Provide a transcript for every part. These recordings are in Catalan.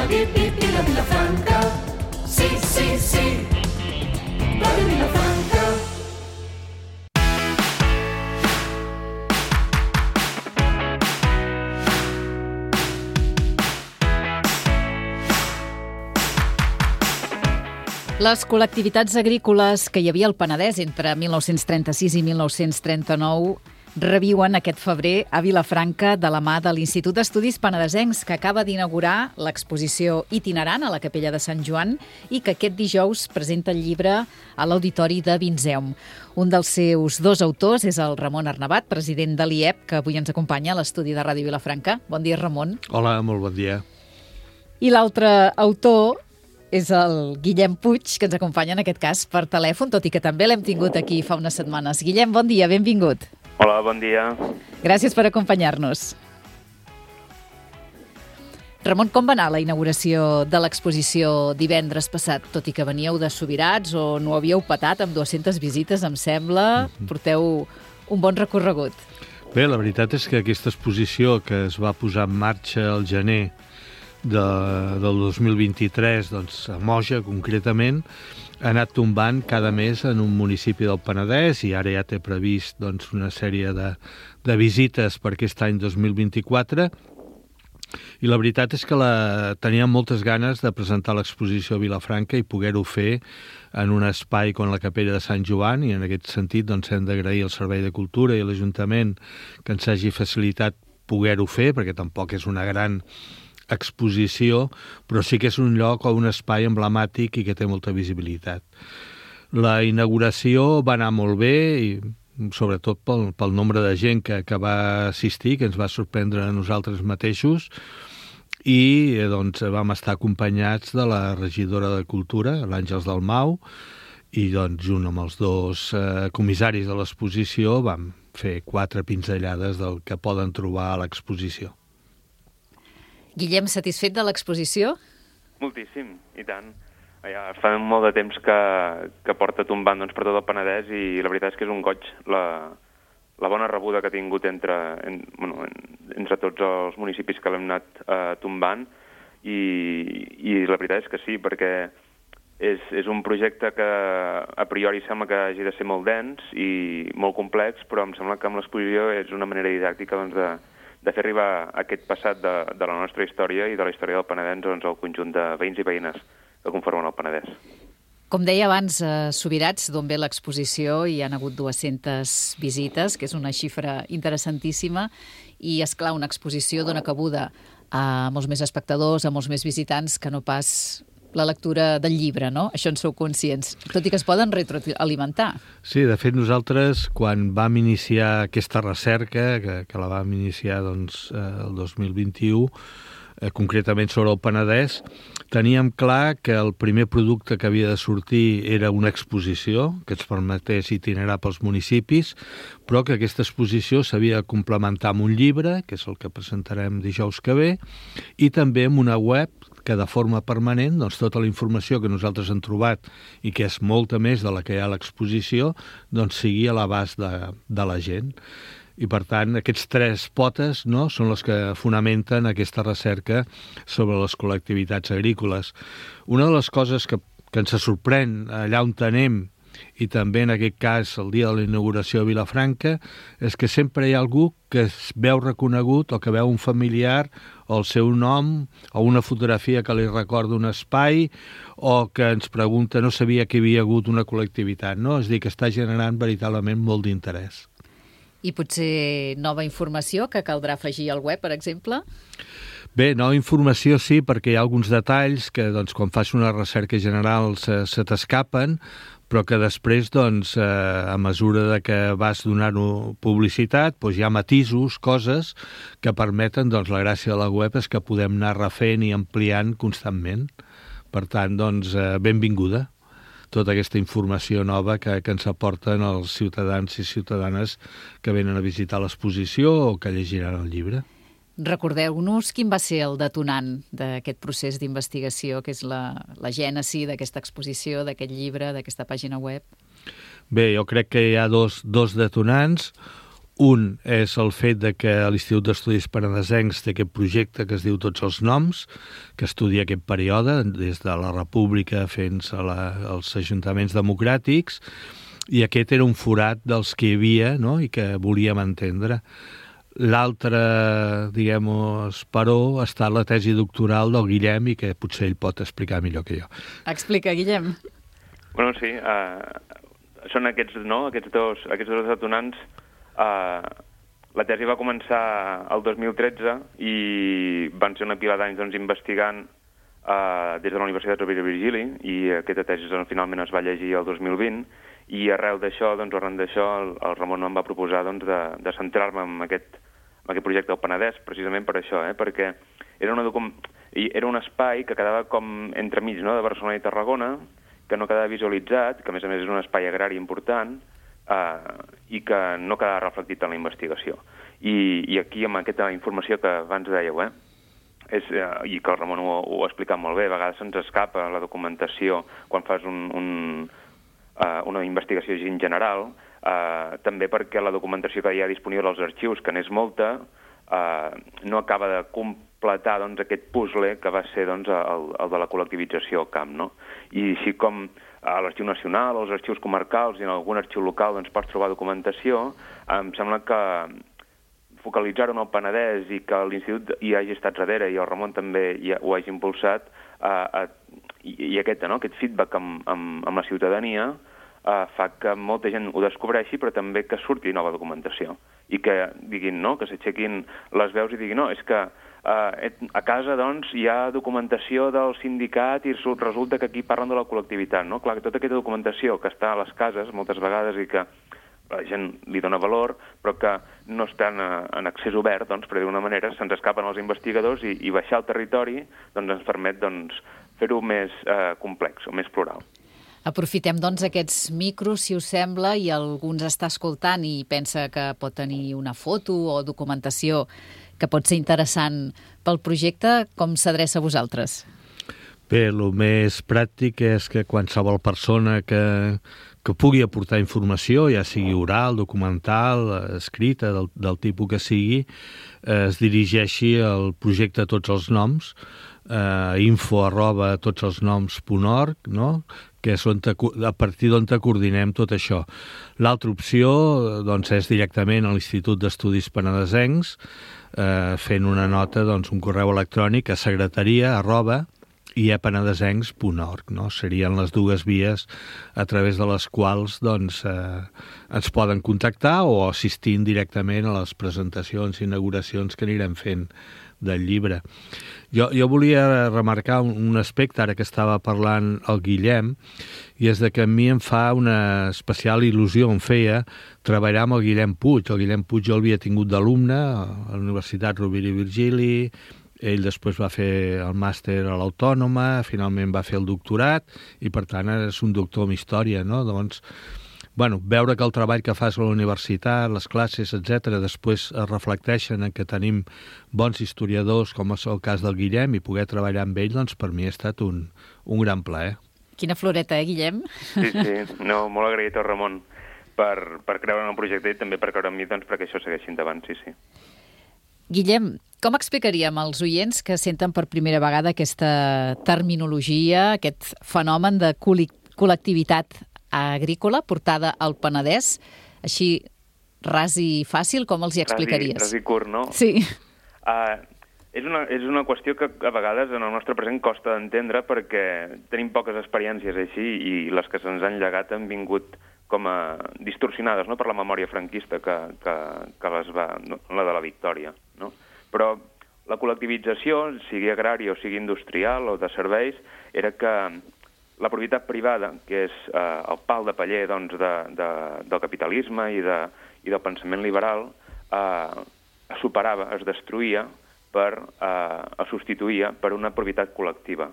la Vilafranca. Sí, sí, sí, Ràdio Vilafranca. Les col·lectivitats agrícoles que hi havia al Penedès entre 1936 i 1939 reviuen aquest febrer a Vilafranca de la mà de l'Institut d'Estudis Penedesencs, que acaba d'inaugurar l'exposició itinerant a la Capella de Sant Joan i que aquest dijous presenta el llibre a l'Auditori de Vinzeum. Un dels seus dos autors és el Ramon Arnabat, president de l'IEP, que avui ens acompanya a l'estudi de Ràdio Vilafranca. Bon dia, Ramon. Hola, molt bon dia. I l'altre autor és el Guillem Puig, que ens acompanya en aquest cas per telèfon, tot i que també l'hem tingut aquí fa unes setmanes. Guillem, bon dia, benvingut. Hola, bon dia. Gràcies per acompanyar-nos. Ramon, com va anar la inauguració de l'exposició divendres passat? Tot i que veníeu de Subirats o no havíeu patat amb 200 visites, em sembla, porteu un bon recorregut. Bé, la veritat és que aquesta exposició que es va posar en marxa al gener del 2023, doncs a Moja concretament, ha anat tombant cada mes en un municipi del Penedès i ara ja té previst doncs, una sèrie de visites per aquest any 2024 i la veritat és que teníem moltes ganes de presentar l'exposició a Vilafranca i poder-ho fer en un espai com la Capella de Sant Joan i en aquest sentit doncs, hem d'agrair al Servei de Cultura i a l'Ajuntament que ens hagi facilitat poder-ho fer perquè tampoc és una gran exposició, però sí que és un lloc o un espai emblemàtic i que té molta visibilitat. La inauguració va anar molt bé i sobretot pel nombre de gent que va assistir, que ens va sorprendre a nosaltres mateixos i doncs vam estar acompanyats de la regidora de Cultura, l'Àngels Dalmau, i doncs junt amb els dos comissaris de l'exposició vam fer 4 pinzellades del que poden trobar a l'exposició. Guillem, satisfet de l'exposició? Moltíssim, i tant. Ja fa molt de temps que porta tombant doncs, per tot el Penedès i la veritat és que és un goig la bona rebuda que ha tingut entre tots els municipis que l'hem anat tombant i la veritat és que sí, perquè és un projecte que a priori sembla que hagi de ser molt dens i molt complex, però em sembla que amb l'exposició és una manera didàctica doncs, de fer arribar aquest passat de la nostra història i de la història del Penedès doncs, al conjunt de veïns i veïnes que conformen el Penedès. Com deia abans, a Subirats, d'on ve l'exposició, hi han hagut 200 visites, que és una xifra interessantíssima, i, esclar, una exposició dona cabuda a molts més espectadors, a molts més visitants, que no pas la lectura del llibre, no? Això en sou conscients, tot i que es poden retroalimentar. Sí, de fet nosaltres quan vam iniciar aquesta recerca, que la vam iniciar doncs, el 2021, concretament sobre el Penedès, teníem clar que el primer producte que havia de sortir era una exposició que ens permetés itinerar pels municipis, però que aquesta exposició s'havia de complementar amb un llibre, que és el que presentarem dijous que ve, i també amb una web que de forma permanent doncs, tota la informació que nosaltres hem trobat i que és molta més de la que hi ha a l'exposició doncs, sigui a l'abast de la gent. I, per tant, aquests 3 potes no, són les que fonamenten aquesta recerca sobre les col·lectivitats agrícoles. Una de les coses que ens sorprèn allà on anem i també en aquest cas el dia de la inauguració a Vilafranca és que sempre hi ha algú que es veu reconegut o que veu un familiar o el seu nom o una fotografia que li recorda un espai o que ens pregunta no sabia que hi havia hagut una col·lectivitat, no? És a dir, que està generant veritablement molt d'interès. I potser nova informació que caldrà afegir al web, per exemple? Bé, nova informació sí, perquè hi ha alguns detalls que doncs, quan fas una recerca general se t'escapen, però que després, doncs, a mesura de que vas donar-ho publicitat, doncs hi ha matisos, coses que permeten, doncs, la gràcia de la web és que podem anar refent i ampliant constantment. Per tant, doncs, benvinguda tota aquesta informació nova que ens aporten els ciutadans i ciutadanes que venen a visitar l'exposició o que llegiran el llibre. Recordeu-nos quin va ser el detonant d'aquest procés d'investigació, que és la gènesi d'aquesta exposició, d'aquest llibre, d'aquesta pàgina web? Bé, jo crec que hi ha dos detonants. Un és el fet de que l'Institut d'Estudis Penedesencs té aquest projecte que es diu Tots els noms, que estudia aquest període, des de la República fins als ajuntaments democràtics, i aquest era un forat dels que hi havia, no?, i que volíem entendre. L'altre, diguem, esperó, ha estat la tesi doctoral del Guillem, i que potser ell pot explicar millor que jo. Explica, Guillem. Bueno, sí, són aquests dos detonants. La tesi va començar el 2013 i van ser una pila d'anys investigant des de la Universitat Rovira i Virgili, i aquesta tesi finalment es va llegir el 2020, i arran d'això el Ramon em va proposar de centrar-me en aquest projecte del Penedès, precisament per això, perquè era un espai que quedava com entremig, no?, de Barcelona i Tarragona, que no quedava visualitzat, que a més és un espai agrari important, i que no quedava reflectit en la investigació. I aquí, amb aquesta informació que abans dèieu, i que el Ramon ho ha explicat molt bé, a vegades se'ns escapa la documentació quan fas una investigació així en general, també perquè la documentació que hi ha disponible als arxius, que n'és molta, no acaba de completar aquest puzzle que va ser el de la col·lectivització al camp, no? I així com a l'Arxiu Nacional, als arxius comarcals i en algun arxiu local pots trobar documentació, em sembla que focalitzar-ho en el Penedès i que l'Institut hi hagi estat darrere i el Ramon també ho hagi impulsat, i aquest feedback amb la ciutadania fa que molta gent ho descobreixi, però també que surti nova documentació i que diguin, no?, que s'aixequin les veus i diguin, no, és que a casa, hi ha documentació del sindicat i resulta que aquí parlen de la col·lectivitat, no? Clar, tota aquesta documentació que està a les cases moltes vegades i que la gent li dona valor, però que no estan en accés obert, per dir-ho d'una manera, se'ns escapen els investigadors i baixar al territori ens permet fer-ho més complex o més plural. Aprofitem, aquests micros, si us sembla, i algú ens està escoltant i pensa que pot tenir una foto o documentació que pot ser interessant pel projecte. Com s'adreça a vosaltres? Bé, el més pràctic és que qualsevol persona que pugui aportar informació, ja sigui oral, documental, escrita, del tipus que sigui, es dirigeixi al projecte Tots els noms, info@totselsnoms.org, no?, que és a partir d'on coordinem tot això. L'altra opció és directament a l'Institut d'Estudis Penedesencs, fent una nota, un correu electrònic a secretaria@iepenedesencs.org, no? Serien les dues vies a través de les quals ens poden contactar o assistir directament a les presentacions i inauguracions que anirem fent del llibre. Jo volia remarcar un aspecte, ara que estava parlant el Guillem, i és que a mi em fa una especial il·lusió, em feia, treballar amb el Guillem Puig. El Guillem Puig jo l'havia tingut d'alumne a la Universitat Rovira i Virgili, ell després va fer el màster a l'Autònoma, finalment va fer el doctorat, i per tant és un doctor en història, no? Doncs, veure que el treball que fas a la universitat, les classes, etc., després es reflecteixen en que tenim bons historiadors, com és el cas del Guillem, i poder treballar amb ell, per mi ha estat un gran plaer. Quina floreta, Guillem? Sí, no, molt agraït al Ramon per creure en el projecte i també per creure en mi, perquè això segueixi endavant, sí. Guillem, com explicaríem als oients que senten per primera vegada aquesta terminologia, aquest fenomen de col·lectivitat agrícola portada al Penedès, així ras i fàcil, com els hi explicaries? Ras i curt, no? Sí. És una qüestió que a vegades en el nostre present costa d'entendre perquè tenim poques experiències així i les que se'ns han llegat han vingut com a distorsionades, no?, per la memòria franquista que la de la Victòria, no? Però la col·lectivització, sigui agrària o sigui industrial o de serveis, era que la propietat privada, que és el pal de paller del capitalisme i del pensament liberal, es superava, es destruïa, es substituïa per una propietat col·lectiva,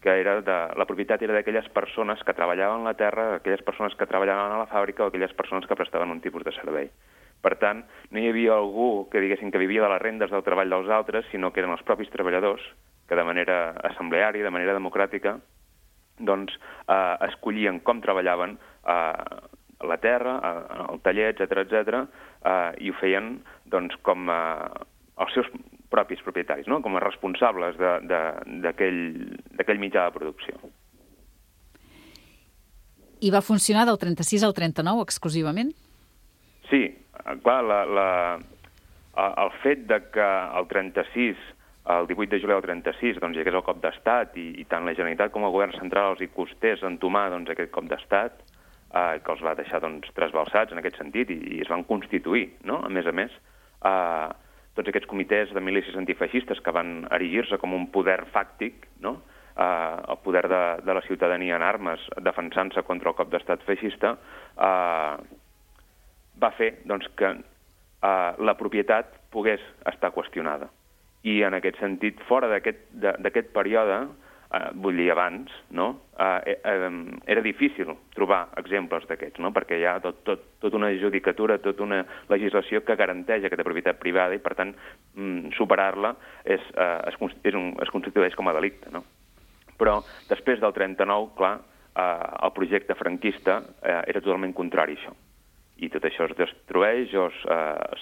que la propietat era d'aquelles persones que treballaven la terra, aquelles persones que treballaven a la fàbrica o aquelles persones que prestaven un tipus de servei. Per tant, no hi havia algú que diguessin que vivia de les rendes del treball dels altres, sinó que eren els propis treballadors que de manera assembleària, de manera democràtica, escollien com treballaven a la terra, al taller, etc, i ho feien doncs, com els seus propis propietaris, no? Com a responsables d'aquell mitjà de producció. I va funcionar del 36 al 39 exclusivament? Sí, clar, el fet de que el 36, el 18 de juliol del 36, doncs, hi hagués el cop d'estat i tant la Generalitat com el govern central els hi costés entomar doncs, aquest cop d'estat, que els va deixar doncs, trasbalsats en aquest sentit i es van constituir, no? A més, tots aquests comitès de milícies antifeixistes que van erigir-se com un poder fàctic, no? El poder de la ciutadania en armes defensant-se contra el cop d'estat feixista, va fer doncs, que la propietat pogués estar qüestionada. I en aquest sentit, fora d'aquest període, vull dir abans, no? Era difícil trobar exemples d'aquests, no? Perquè hi ha tota una judicatura, tota una legislació que garanteix aquesta propietat privada i, per tant, superar-la es constitueix com a delicte, no? Però després del 39, clar, el projecte franquista era totalment contrari a això. I tot això es destrueix o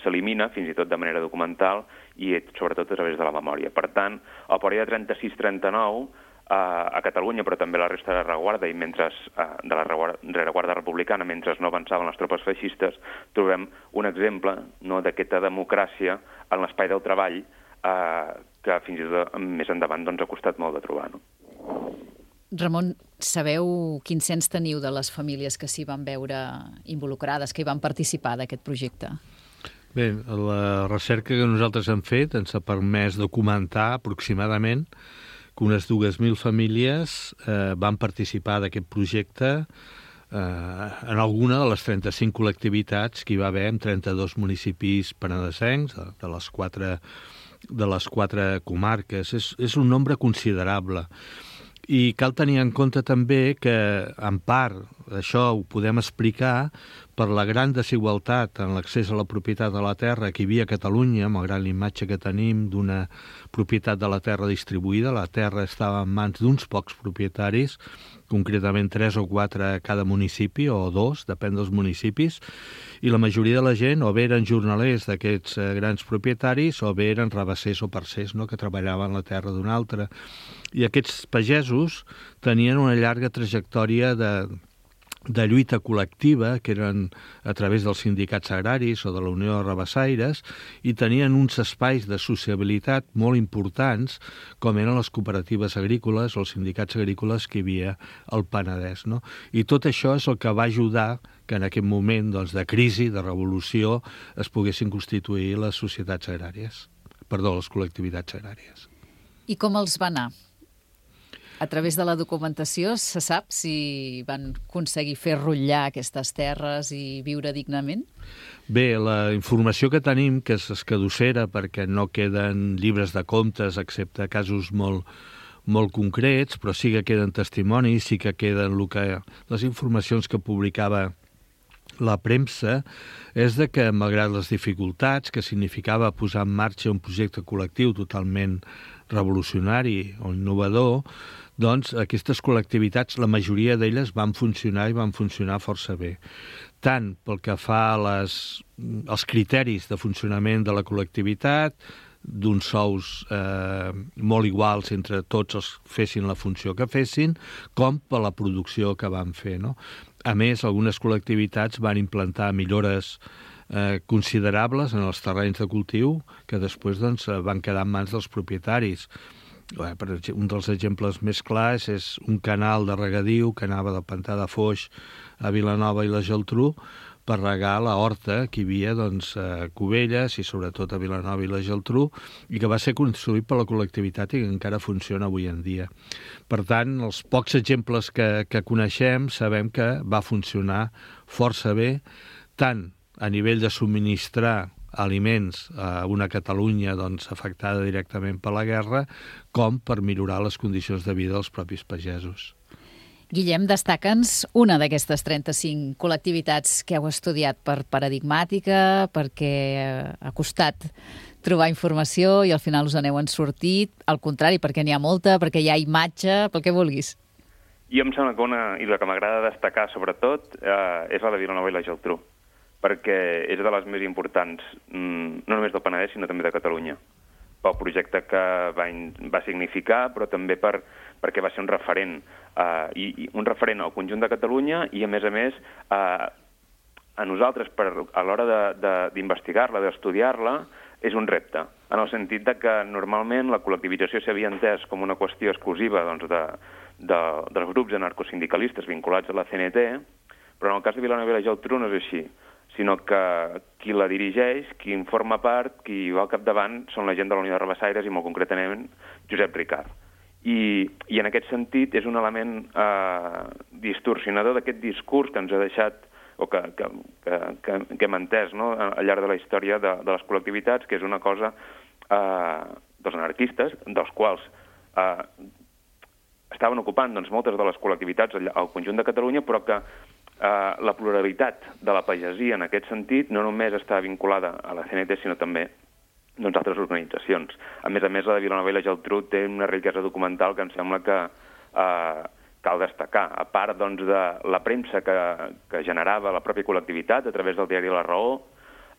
s'elimina, fins i tot de manera documental, i sobretot a través de la memòria. Per tant, el període 36-39, a Catalunya, però també a la resta de la rereguarda i de la rereguarda republicana, mentre no avançaven les tropes feixistes, trobem un exemple, no, d'aquesta democràcia en l'espai del treball que fins i tot més endavant doncs, ha costat molt de trobar. No? Ramon, sabeu quin cens teniu de les famílies que s'hi van veure involucrades, que hi van participar d'aquest projecte? Bé, la recerca que nosaltres hem fet ens ha permès documentar aproximadament que unes 2.000 famílies van participar d'aquest projecte en alguna de les 35 col·lectivitats que hi va haver en 32 municipis penedesencs, de les quatre comarques. És un nombre considerable. I cal tenir en compte també que, en part, això ho podem explicar per la gran desigualtat en l'accés a la propietat de la terra que hi havia a Catalunya, malgrat la imatge que tenim d'una propietat de la terra distribuïda. La terra estava en mans d'uns pocs propietaris, concretament 3 o 4 a cada municipi, o 2, depèn dels municipis, i la majoria de la gent o bé eren jornalers d'aquests grans propietaris o bé eren rabassers o parcers, no?, que treballaven la terra d'un altre. I aquests pagesos tenien una llarga trajectòria de lluita col·lectiva, que eren a través dels sindicats agraris o de la Unió de Rabassaires, i tenien uns espais de sociabilitat molt importants, com eren les cooperatives agrícoles o els sindicats agrícoles que hi havia al Penedès, no? I tot això és el que va ajudar que en aquest moment doncs, de crisi, de revolució, es poguessin constituir les societats agràries, les col·lectivitats agràries. I com els va anar? A través de la documentació se sap si van aconseguir fer rotllar aquestes terres i viure dignament? Bé, la informació que tenim, que és escadussera perquè no queden llibres de comptes excepte casos molt concrets, però sí que queden testimonis, sí que queden les informacions que publicava la premsa, és de que, malgrat les dificultats que significava posar en marxa un projecte col·lectiu totalment revolucionari o innovador, doncs aquestes col·lectivitats, la majoria d'elles van funcionar i van funcionar força bé. Tant pel que fa als criteris de funcionament de la col·lectivitat, d'uns sous molt iguals entre tots els fessin la funció que fessin, com per la producció que van fer, no? A més, algunes col·lectivitats van implantar millores considerables en els terrenys de cultiu que després doncs, van quedar en mans dels propietaris. Un dels exemples més clars és un canal de regadiu que anava del pantà de Foix a Vilanova i la Geltrú per regar la horta que hi havia doncs, a Cubelles i sobretot a Vilanova i la Geltrú i que va ser construït per la col·lectivitat i que encara funciona avui en dia. Per tant, els pocs exemples que coneixem sabem que va funcionar força bé, tant a nivell de subministrar aliments a una Catalunya doncs, afectada directament per la guerra, com per millorar les condicions de vida dels propis pagesos. Guillem, destaca'ns una d'aquestes 35 col·lectivitats que heu estudiat per paradigmàtica, perquè ha costat trobar informació i al final us n'heu sortit, al contrari, perquè n'hi ha molta, perquè hi ha imatge, pel que vulguis. I em sembla que i la que m'agrada destacar, sobretot, és la de Vilanova i la Geltrú, perquè és de les més importants, no només del Penedès, sinó també de Catalunya, pel projecte que va significar, però també perquè va ser un referent, i un referent al conjunt de Catalunya, i a més, a nosaltres, a l'hora d'investigar-la, d'estudiar-la, és un repte, en el sentit de que normalment la col·lectivització s'havia entès com una qüestió exclusiva dels grups anarcosindicalistes vinculats a la CNT, però en el cas de Vilanova i la Geltrú no és així, sinó que qui la dirigeix, qui en forma part, qui va al capdavant, són la gent de la Unió de Rabassaires i molt concretament Josep Ricart. I en aquest sentit és un element distorsionador d'aquest discurs que ens ha deixat o que hem entès, no?, al llarg de la història de les col·lectivitats, que és una cosa dels anarquistes, dels quals estaven ocupant moltes de les col·lectivitats al conjunt de Catalunya, però que la pluralitat de la pagesia en aquest sentit no només està vinculada a la CNT, sinó també altres organitzacions. A més, la de Vilanova i la Geltrú té una riquesa documental que em sembla que cal destacar. A part de la premsa que generava la pròpia col·lectivitat a través del diari La Raó,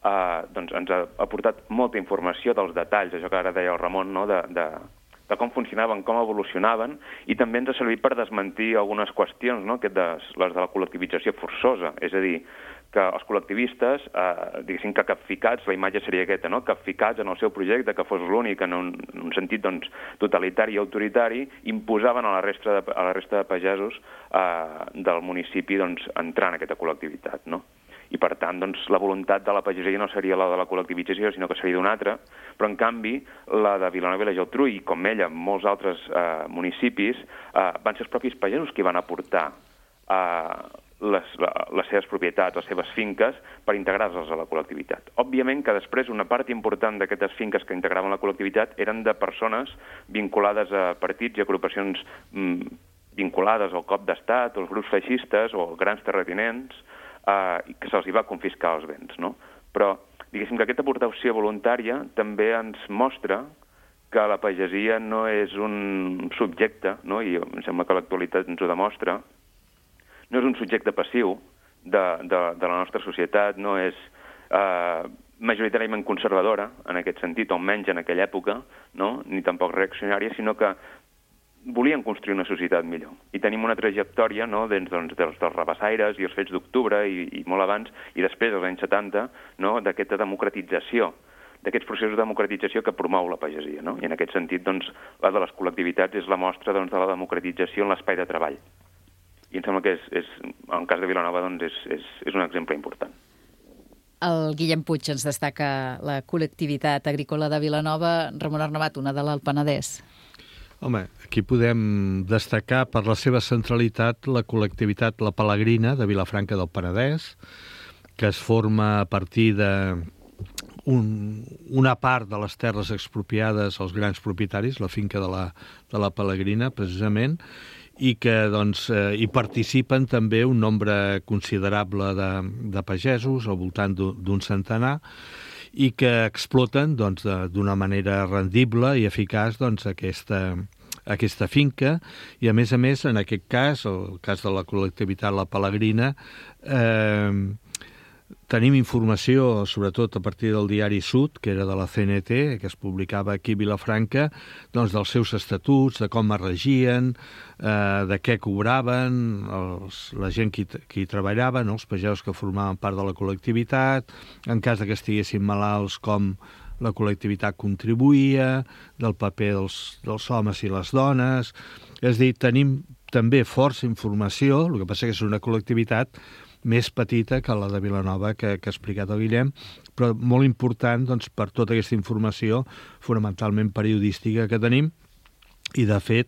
ens ha aportat molta informació dels detalls, això que ara deia el Ramon, no?, de com funcionaven, com evolucionaven, i també ens ha servit per desmentir algunes qüestions, no?, les de la col·lectivització forçosa, és a dir, que els col·lectivistes, diguéssim que capficats, la imatge seria aquesta, no?, capficats en el seu projecte, que fos l'únic en un sentit totalitari i autoritari, imposaven a la resta de pagesos del municipi entrar en aquesta col·lectivitat, no? I, per tant, la voluntat de la pagesia no seria la de la col·lectivització, sinó que seria d'una altra, però, en canvi, la de Vilanova i la Geltrú, i com ella, molts altres municipis, van ser els propis pagesos qui van aportar les seves propietats, les seves finques, per integrar-les a la col·lectivitat. Òbviament que després una part important d'aquestes finques que integraven la col·lectivitat eren de persones vinculades a partits i agrupacions vinculades al cop d'estat, als grups feixistes o grans terratinents, i que se'ls va confiscar els béns, no? Però, diguéssim que aquesta aportació voluntària també ens mostra que la pagesia no és un subjecte, no?, i em sembla que l'actualitat ens ho demostra, no és un subjecte passiu de la nostra societat, no és majoritàriament conservadora, en aquest sentit, o almenys en aquella època, no?, ni tampoc reaccionària, sinó que volien construir una societat millor. I tenim una trajectòria, no?, dels rabassaires i els fets d'octubre i molt abans, i després, als anys 70, no?, d'aquesta democratització, d'aquests processos de democratització que promou la pagesia, no? I en aquest sentit, la de les col·lectivitats és la mostra de la democratització en l'espai de treball. I em sembla que en el cas de Vilanova és un exemple important. El Guillem Puig ens destaca la col·lectivitat agrícola de Vilanova. Ramon Arnabat, una de l'Alt Penedès. Home, aquí podem destacar per la seva centralitat la col·lectivitat La Pelegrina de Vilafranca del Penedès, que es forma a partir d'una part de les terres expropiades als grans propietaris, la finca de la Pelegrina, precisament, i que hi participen també un nombre considerable de pagesos, al voltant d'un centenar, i que exploten d'una manera rendible i eficaç aquesta finca, i a més, en aquest cas, el cas de la col·lectivitat La Pelegrina, tenim informació, sobretot a partir del diari Sud, que era de la CNT, que es publicava aquí a Vilafranca, dels seus estatuts, de com es regien, de què cobraven, la gent que hi treballava, els pagesos que formaven part de la col·lectivitat, en cas que estiguessin malalts, com la col·lectivitat contribuïa, del paper dels homes i les dones. És a dir, tenim també força informació, el que passa que és una col·lectivitat més petita que la de Vilanova que ha explicat el Guillem, però molt important per tota aquesta informació fonamentalment periodística que tenim, i de fet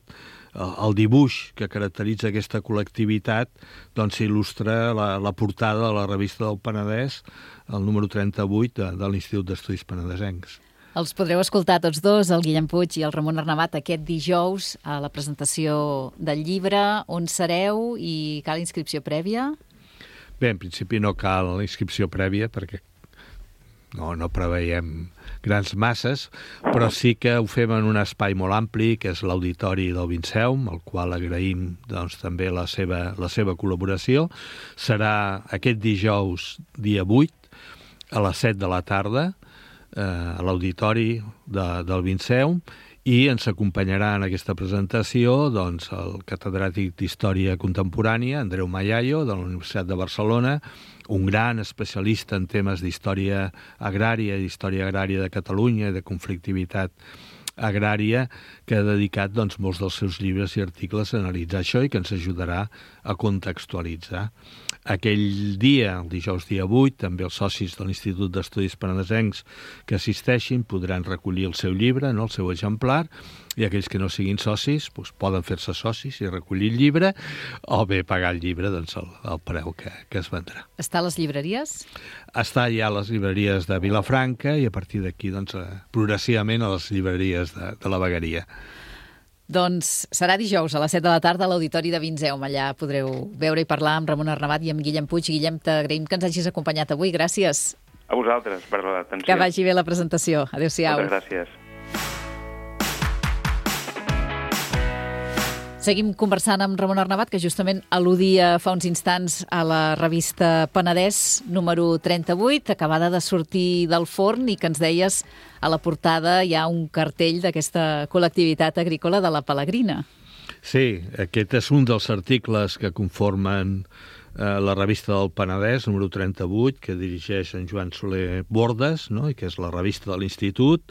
el dibuix que caracteritza aquesta col·lectivitat il·lustra la portada de la revista del Penedès, el número 38 de l'Institut d'Estudis Penedesencs. Els podreu escoltar tots dos, el Guillem Puig i el Ramon Arnabat, aquest dijous a la presentació del llibre. On sereu i cal inscripció prèvia? Bé, en principi no cal inscripció prèvia perquè no preveiem grans masses, però sí que ho fem en un espai molt ampli, que és l'Auditori del Vinceum, al qual agraïm doncs, també la seva col·laboració. Serà aquest dijous, dia 8, a les 7 de la tarda, a l'Auditori del Vinceum, i ens acompanyarà en aquesta presentació doncs, el catedràtic d'Història Contemporània, Andreu Mayayo, de la Universitat de Barcelona, un gran especialista en temes d'història agrària i d'història agrària de Catalunya i de conflictivitat agrària, que ha dedicat doncs, molts dels seus llibres i articles a analitzar això i que ens ajudarà a contextualitzar. Aquell dia, el dijous dia 8, també els socis de l'Institut d'Estudis Penedesencs que assisteixin podran recollir el seu llibre, no? El seu exemplar, i aquells que no siguin socis doncs, poden fer-se socis i recollir el llibre, o bé pagar el llibre doncs, el preu que es vendrà. Està a les llibreries? Està ja a les llibreries de Vilafranca i a partir d'aquí doncs, progressivament a les llibreries de la Vegueria. Doncs serà dijous a les 7 de la tarda a l'Auditori de Vinceum. Allà podreu veure i parlar amb Ramon Arnabat i amb Guillem Puig. Guillem, t'agraïm que ens hagis acompanyat avui. Gràcies. A vosaltres per l'atenció. Que vagi bé la presentació. Adéu-siau. Moltes gràcies. Seguim conversant amb Ramon Arnabat, que justament al·ludia fa uns instants a la revista Penedès número 38, acabada de sortir del forn, i que ens deies a la portada hi ha un cartell d'aquesta col·lectivitat agrícola de la Pelegrina. Sí, aquest és un dels articles que conformen la revista del Penedès, número 38, que dirigeix en Joan Soler Bordes, no? I que és la revista de l'Institut,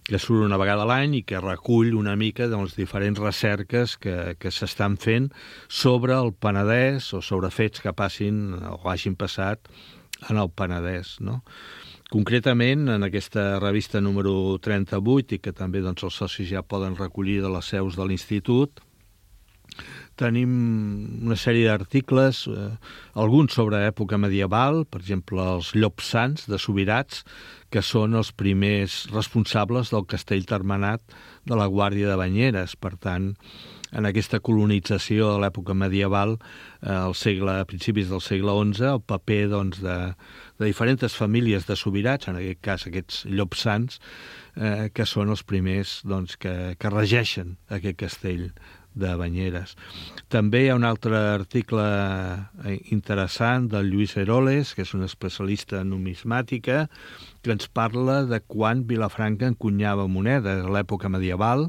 que surt una vegada a l'any i que recull una mica de les diferents recerques que s'estan fent sobre el Penedès o sobre fets que passin o hagin passat en el Penedès, no? Concretament, en aquesta revista número 38, i que també doncs, els socis ja poden recollir de les seus de l'Institut, tenim una sèrie d'articles, alguns sobre època medieval, per exemple, els Llops Sants de Subirats, que són els primers responsables del castell termenat de la Guàrdia de Banyeres. Per tant, en aquesta colonització de l'època medieval, a principis del segle XI, el paper doncs, de diferents famílies de Subirats, en aquest cas aquests Llops Sants, que són els primers doncs, que regeixen aquest castell de Banyeres. També hi ha un altre article interessant del Lluís Heroles, que és un especialista en numismàtica, que ens parla de quan Vilafranca encunyava monedes. A l'època medieval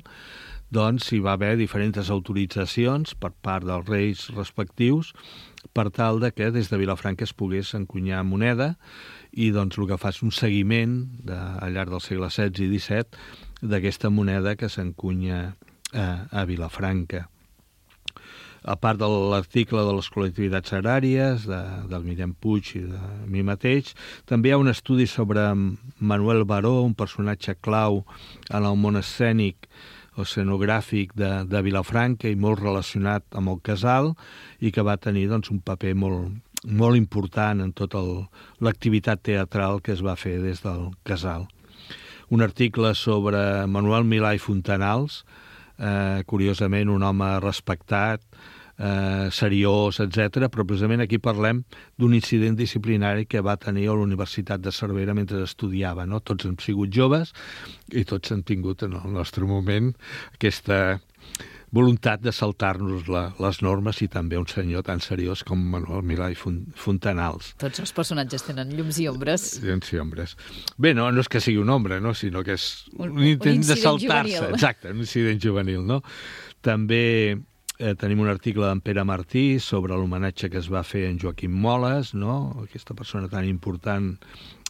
doncs, hi va haver diferents autoritzacions per part dels reis respectius per tal de que des de Vilafranca es pogués encunyar moneda, i doncs, el que fa és un seguiment al llarg del segle XVI i XVII d'aquesta moneda que s'encunya a Vilafranca. A part de l'article de les col·lectivitats agràries, del Guillem Puig i de mi mateix, també hi ha un estudi sobre Manuel Baró, un personatge clau en el món escènic o escenogràfic de Vilafranca i molt relacionat amb el casal, i que va tenir doncs, un paper molt important en tota l'activitat teatral que es va fer des del casal. Un article sobre Manuel Milà i Fontanals, curiosament un home respectat, seriós, etc. Però precisament aquí parlem d'un incident disciplinari que va tenir a la Universitat de Cervera mentre estudiava, no? Tots hem sigut joves i tots hem tingut en el nostre moment aquesta voluntat de saltar-nos les normes, i també un senyor tan seriós com Manuel Milà i Fontanals. Tots els personatges tenen llums i ombres. Llums i ombres. Bé, no és que sigui un ombra, no? Sinó que és un intent de saltar-se. Juvenil. Exacte, un incident juvenil, no? També tenim un article d'en Pere Martí sobre l'homenatge que es va fer en Joaquim Moles, no? Aquesta persona tan important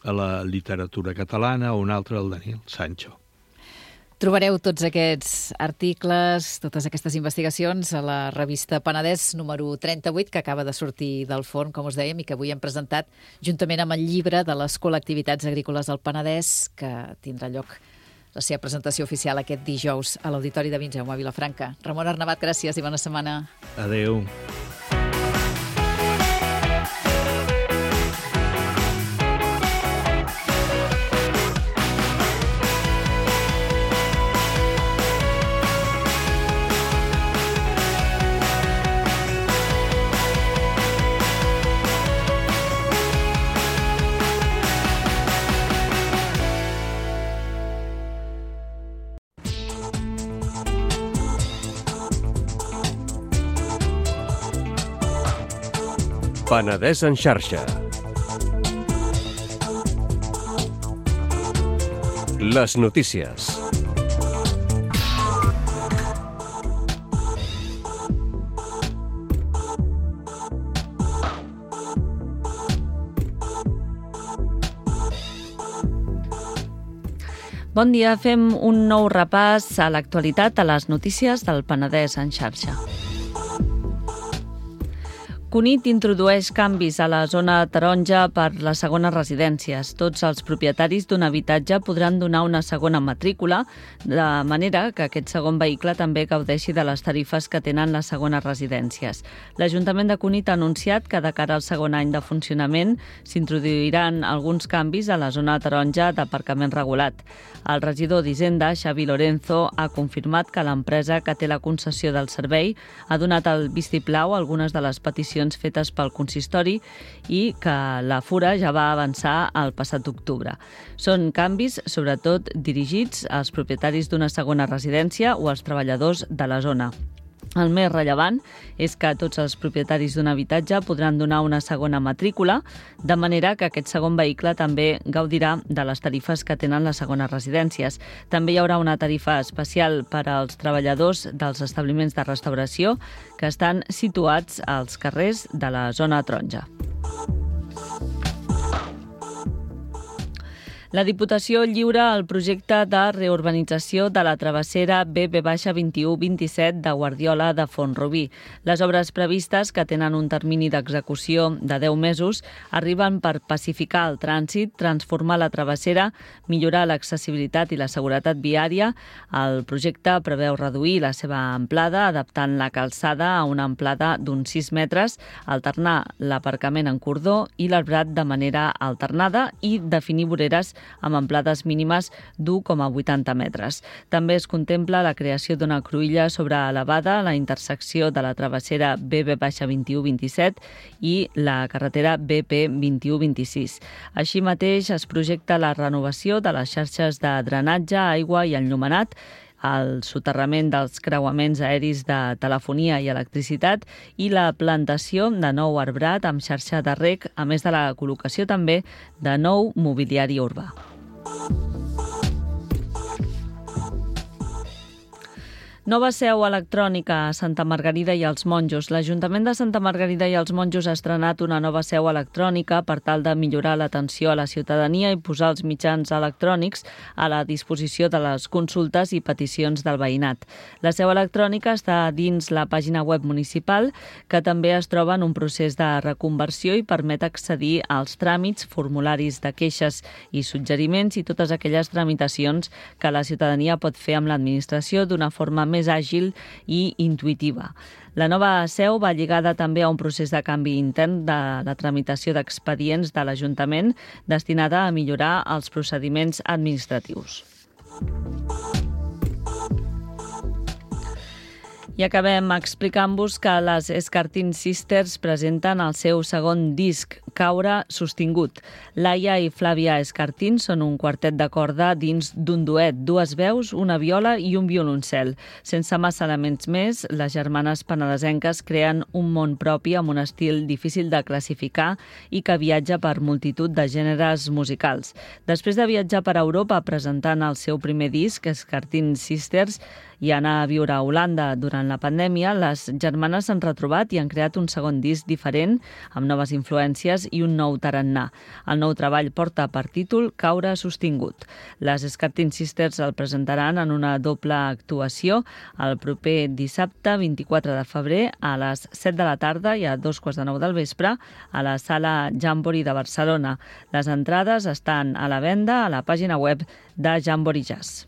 a la literatura catalana, o un altre, el Daniel Sancho. Trobareu tots aquests articles, totes aquestes investigacions a la revista Penedès número 38, que acaba de sortir del forn, com us dèiem, i que avui hem presentat juntament amb el llibre de les col·lectivitats agrícoles del Penedès, que tindrà lloc la seva presentació oficial aquest dijous a l'Auditori de Vinceum a Vilafranca. Ramon Arnabat, gràcies i bona setmana. Adéu. Penedès en xarxa. Les notícies. Bon dia, fem un nou repàs a l'actualitat a les notícies del Penedès en xarxa. Cunit introdueix canvis a la zona taronja per les segones residències. Tots els propietaris d'un habitatge podran donar una segona matrícula, de manera que aquest segon vehicle també gaudeixi de les tarifes que tenen les segones residències. L'Ajuntament de Cunit ha anunciat que de cara al segon any de funcionament s'introduiran alguns canvis a la zona taronja d'aparcament regulat. El regidor d'Hisenda, Xavi Lorenzo, ha confirmat que l'empresa que té la concessió del servei ha donat el vistiplau a algunes de les peticions fetes pel consistori i que la Fura ja va avançar el passat octubre. Són canvis, sobretot, dirigits als propietaris d'una segona residència o als treballadors de la zona. El més rellevant és que tots els propietaris d'un habitatge podran donar una segona matrícula, de manera que aquest segon vehicle també gaudirà de les tarifes que tenen les segones residències. També hi haurà una tarifa especial per als treballadors dels establiments de restauració que estan situats als carrers de la zona taronja. La Diputació lliura el projecte de reurbanització de la travessera BB-2127 de Guardiola de Font-rubí. Les obres previstes, que tenen un termini d'execució de 10 mesos, arriben per pacificar el trànsit, transformar la travessera, millorar l'accessibilitat i la seguretat viària. El projecte preveu reduir la seva amplada, adaptant la calçada a una amplada d'uns 6 metres, alternar l'aparcament en cordó i l'arbrat de manera alternada i definir voreres amb amplades mínimes d'1,80 metres. També es contempla la creació d'una cruïlla sobreelevada a la intersecció de la travessera BB-2127 i la carretera BP-2126. Així mateix es projecta la renovació de les xarxes de drenatge, aigua i enllumenat, el soterrament dels creuaments aeris de telefonia i electricitat i la plantació de nou arbrat amb xarxa de reg, a més de la col·locació també de nou mobiliari urbà. Nova seu electrònica a Santa Margarida i els Monjos. L'Ajuntament de Santa Margarida i els Monjos ha estrenat una nova seu electrònica per tal de millorar l'atenció a la ciutadania i posar els mitjans electrònics a la disposició de les consultes i peticions del veïnat. La seu electrònica està dins la pàgina web municipal, que també es troba en un procés de reconversió i permet accedir als tràmits, formularis de queixes i suggeriments i totes aquelles tramitacions que la ciutadania pot fer amb l'administració d'una forma més àgil i intuïtiva. La nova seu va lligada també a un procés de canvi intern de la tramitació d'expedients de l'Ajuntament destinada a millorar els procediments administratius. I acabem explicant-vos que les Escartín Sisters presenten el seu segon disc, Caure sostingut. Laia i Flàvia Escartín són un quartet de corda dins d'un duet, dues veus, una viola i un violoncel. Sense massa elements més, les germanes penedesenques creen un món propi amb un estil difícil de classificar i que viatja per multitud de gèneres musicals. Després de viatjar per Europa presentant el seu primer disc, Escartín Sisters, i anar a viure a Holanda durant la pandèmia, les germanes s'han retrobat i han creat un segon disc diferent, amb noves influències i un nou tarannà. El nou treball porta per títol Caure sostingut. Les Escartín Sisters el presentaran en una doble actuació el proper dissabte 24 de febrer a les 7 de la tarda i a 2:15 del vespre a la Sala Jamboree de Barcelona. Les entrades estan a la venda a la pàgina web de Jamboree Jazz.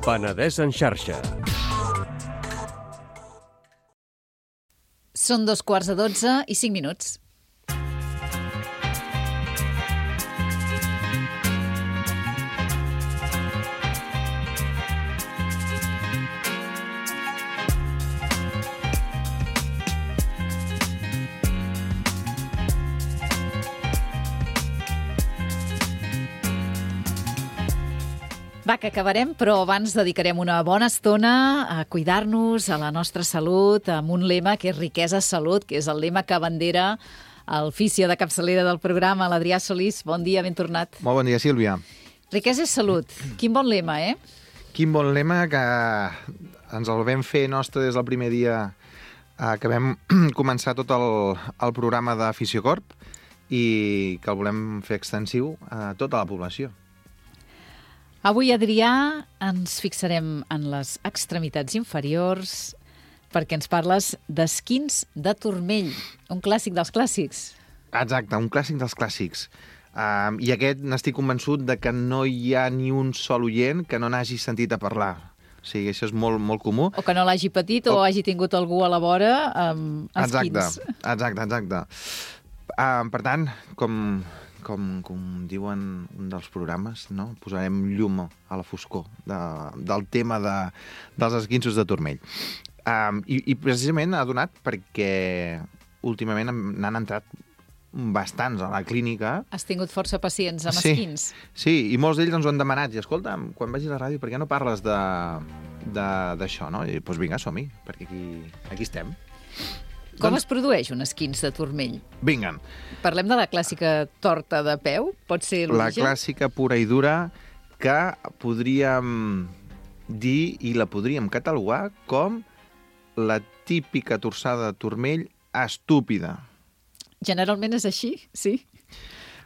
Penedès en xarxa. Són 12:15 i 5 minuts. Va, que acabarem, però abans dedicarem una bona estona a cuidar-nos, a la nostra salut, amb un lema que és riquesa salut, que és el lema que abandera el fisio de capçalera del programa, l'Adrià Solís. Bon dia, ben tornat. Molt bon dia, Sílvia. Riquesa és salut. Quin bon lema, eh? Quin bon lema que ens el vam fer nostre des del primer dia que vam començar tot el programa de Fisiocorp i que el volem fer extensiu a tota la població. Avui, Adrià, ens fixarem en les extremitats inferiors perquè ens parles d'esquins de turmell, un clàssic dels clàssics. Exacte, un clàssic dels clàssics. I aquest n'estic convençut de que no hi ha ni un sol oient que no n'hagi sentit a parlar. O sigui, això és molt, molt comú. O que no l'hagi patit o hagi tingut algú a la vora amb esquins. Exacte. Per tant, com diuen un dels programes, no? Posarem llum a la foscor del tema dels esquinços de turmell. I precisament ha donat perquè últimament n'han entrat bastants a la clínica. Has tingut força pacients amb esquins. Sí, i molts d'ells ens ho han demanat. I escolta, quan vagis a la ràdio, per què no parles d'això, no? I doncs vinga, som-hi, perquè aquí estem. Com es produeix un esquins de turmell? Vinga. Parlem de la clàssica torta de peu? Pot ser l'origen? La clàssica pura i dura que podríem dir i la podríem catalogar com la típica torçada de turmell estúpida. Generalment és així, sí.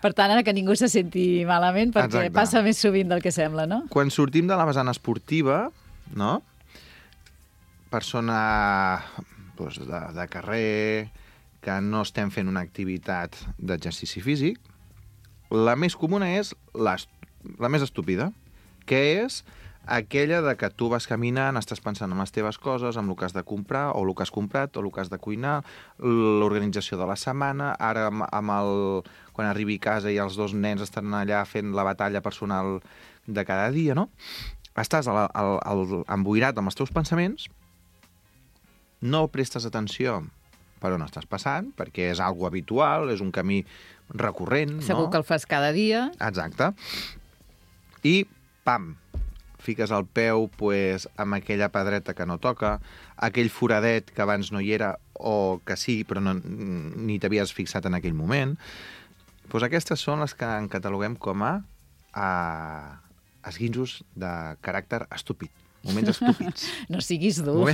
Per tant, ara que ningú se senti malament, perquè passa més sovint del que sembla, no? Quan sortim de la vessant esportiva, no? Persona de carrer, que no estem fent una activitat d'exercici físic, la més comuna és la més estúpida, que és aquella de que tu vas caminant, estàs pensant en les teves coses, en el que has de comprar, o el que has comprat, o el que has de cuinar, l'organització de la setmana, ara quan arribi a casa i els dos nens estan allà fent la batalla personal de cada dia, no? Estàs emboirat amb els teus pensaments, no prestes atenció per on estàs passant, perquè és algo habitual, és un camí recurrent, no? Segur que el fas cada dia. Exacte. I, pam, fiques el peu amb aquella pedreta que no toca, aquell foradet que abans no hi era, o que sí, però ni t'havies fixat en aquell moment. Doncs aquestes són les que en cataloguem com a esquinços de caràcter estúpid. Moments estúpids. No siguis dur.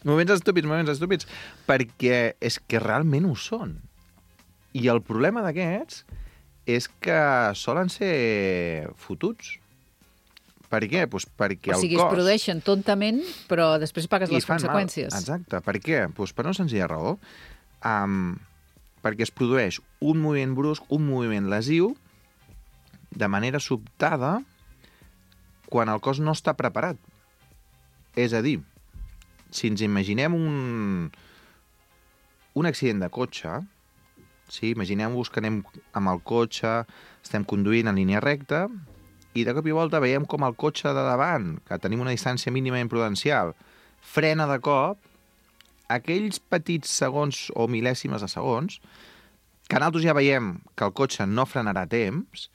Moments estúpids, perquè és que realment ho són. I el problema d'aquests és que solen ser fotuts. Per què? Doncs perquè el cos... O sigui, es produeixen tontament, però després pagues les conseqüències. Mal. Exacte. Per què? Doncs per una senzilla raó. Perquè es produeix un moviment brusc, un moviment lesiu, de manera sobtada, quan el cos no està preparat. És a dir, si ens imaginem un accident de cotxe, sí? Imaginem-vos que anem amb el cotxe, estem conduint en línia recta, i de cop i volta veiem com el cotxe de davant, que tenim una distància mínimament prudencial, frena de cop, aquells petits segons o mil·lèsimes de segons, que nosaltres ja veiem que el cotxe no frenarà a temps,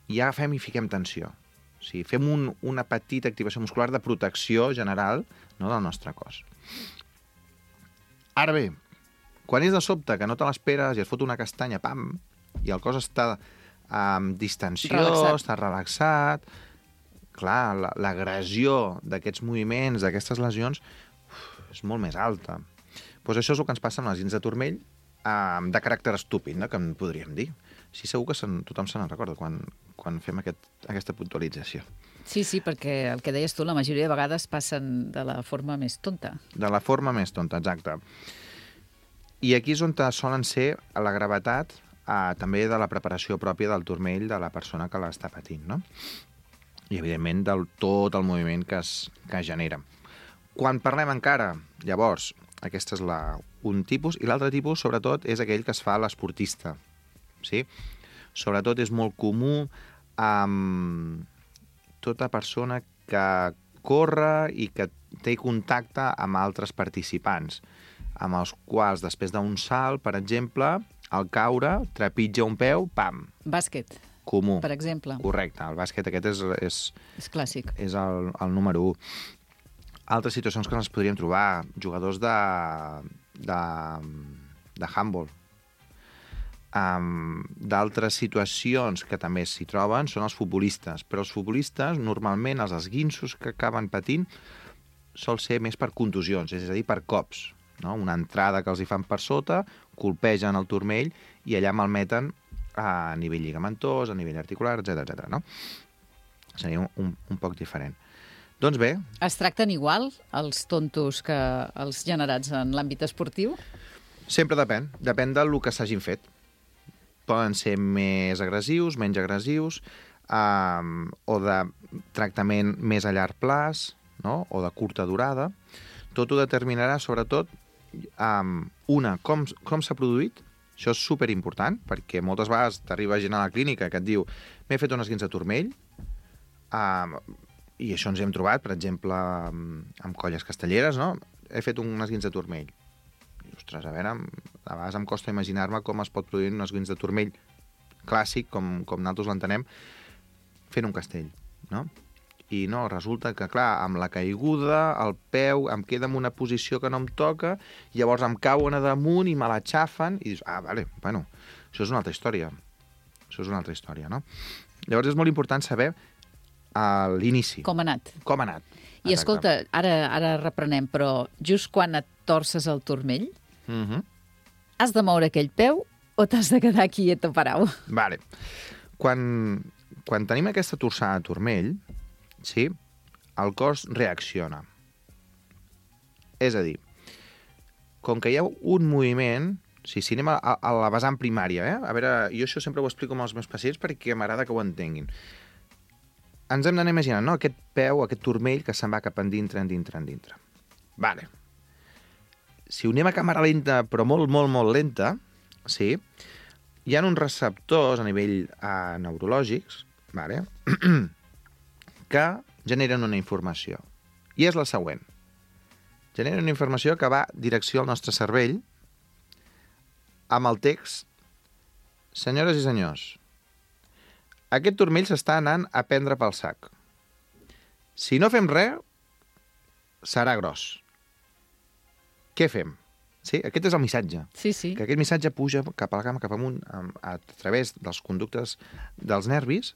ja agafem i fiquem tensió. O sigui, fem una petita activació muscular de protecció general, no, del nostre cos. Ara bé, quan és de sobte que no te l'esperes i es fot una castanya, pam, i el cos està amb distensió, està relaxat, clar, l'agressió d'aquests moviments, d'aquestes lesions, és molt més alta. Doncs això és el que ens passa amb les esquins de turmell de caràcter estúpid, no? Que en podríem dir. Sí, segur que tothom se n'en recorda quan fem aquesta puntualització. Sí, perquè el que deies tu, la majoria de vegades passen de la forma més tonta. De la forma més tonta, exacte. I aquí és on solen ser la gravetat també de la preparació pròpia del turmell de la persona que l'està patint, no? I, evidentment, de tot el moviment que es genera. Quan parlem encara, llavors, aquest és un tipus, i l'altre tipus, sobretot, és aquell que es fa a l'esportista. Sí? Sobretot és molt comú amb tota persona que corre i que té contacte amb altres participants, amb els quals, després d'un salt, per exemple, al caure, trepitja un peu, pam. Bàsquet. comú. per exemple. Correcte, el bàsquet aquest és És clàssic. és el número 1. Altres situacions que ens podríem trobar, jugadors de handball. D'altres situacions que també s'hi troben són els futbolistes, però els futbolistes, normalment, els esguinços que acaben patint sol ser més per contusions, és a dir, per cops. No? Una entrada que els hi fan per sota, colpegen el turmell i allà malmeten a nivell lligamentós, a nivell articular, etc. No? Seria un poc diferent. Doncs bé, Es tracten igual els tontos que els generats en l'àmbit esportiu? sempre depèn. Depèn del que s'hagin fet. Poden ser més agressius, menys agressius, o de tractament més a llarg plaç, no? O de curta durada. Tot ho determinarà, sobretot, com s'ha produït. Això és superimportant, perquè moltes vegades t'arriba gent a la clínica que et diu m'he fet un esguinç de turmell, i això ens hem trobat, per exemple, amb colles castelleres, no? He fet un esguinç de turmell. I, ostres, a veure, a vegades em costa imaginar-me com es pot produir un esguinç de turmell clàssic, com nosaltres l'entenem, fent un castell, no? I no, resulta que, clar, amb la caiguda, el peu em queda en una posició que no em toca, llavors em cauen a damunt i me l'aixafen, i dius, vale, bueno, això és una altra història. Això és una altra història, no? Llavors és molt important saber a l'inici. Com ha anat? Com ha anat. I escolta, ara reprenem, però just quan et torces el turmell, has de moure aquell peu o t'has de quedar quiet o parau? Vale. Quan tenim aquesta torçada de turmell, sí, el cos reacciona. És a dir, com que hi ha un moviment, si anem a la vessant primària, a veure, jo això sempre ho explico amb els meus pacients perquè m'agrada que ho entenguin. Ens hem d'anar imaginant, no?, aquest peu, aquest turmell que se'n va cap endintre. Vale. Si ho anem a càmera lenta, però molt, molt, molt lenta, sí, hi ha uns receptors a nivell neurològics, vale, que generen una informació. I és la següent. Generen una informació que va direcció al nostre cervell amb el text: senyores i senyors, aquest turmell s'està anant a prendre pel sac. Si no fem res, serà gros. Què fem? Sí, aquest és el missatge. Sí, sí. Que aquest missatge puja cap a la cama, cap amunt, a través dels conductes dels nervis,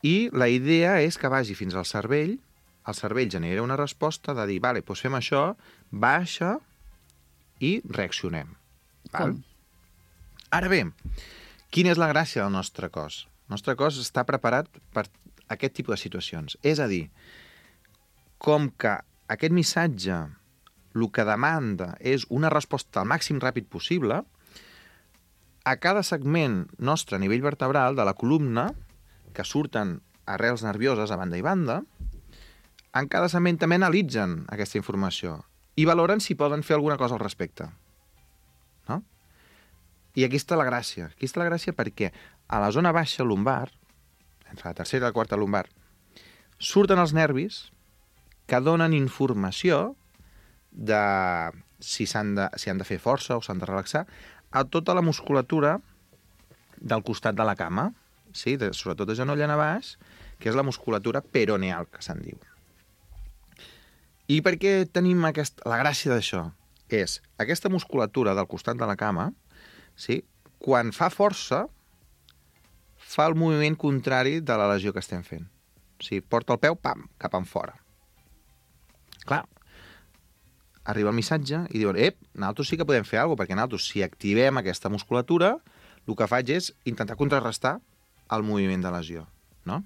i la idea és que vagi fins al cervell, el cervell genera una resposta de dir, vale, doncs fem això, baixa i reaccionem. Val? Ara bé, quina és la gràcia del nostre cos? El nostre cos està preparat per aquest tipus de situacions. És a dir, com que aquest missatge el que demanda és una resposta al màxim ràpid possible, a cada segment nostre a nivell vertebral de la columna, que surten arrels nervioses a banda i banda, en cada segment també analitzen aquesta informació i valoren si poden fer alguna cosa al respecte. No? I aquí està la gràcia. Aquí està la gràcia perquè a la zona baixa lumbar, entre la tercera i la quarta lumbar, surten els nervis que donen informació de si han de fer força o s'han de relaxar a tota la musculatura del costat de la cama, sí? Sobretot de genoll en a baix, que és la musculatura peroneal, que se'n diu. I per què tenim la gràcia d'això? És aquesta musculatura del costat de la cama, sí? Quan fa força, fa el moviment contrari de la lesió que estem fent. O sigui, porta el peu, pam, cap en fora. Clar, arriba el missatge i diuen, nosaltres sí que podem fer alguna cosa, perquè nosaltres, si activem aquesta musculatura, el que faig és intentar contrarrestar el moviment de lesió, no?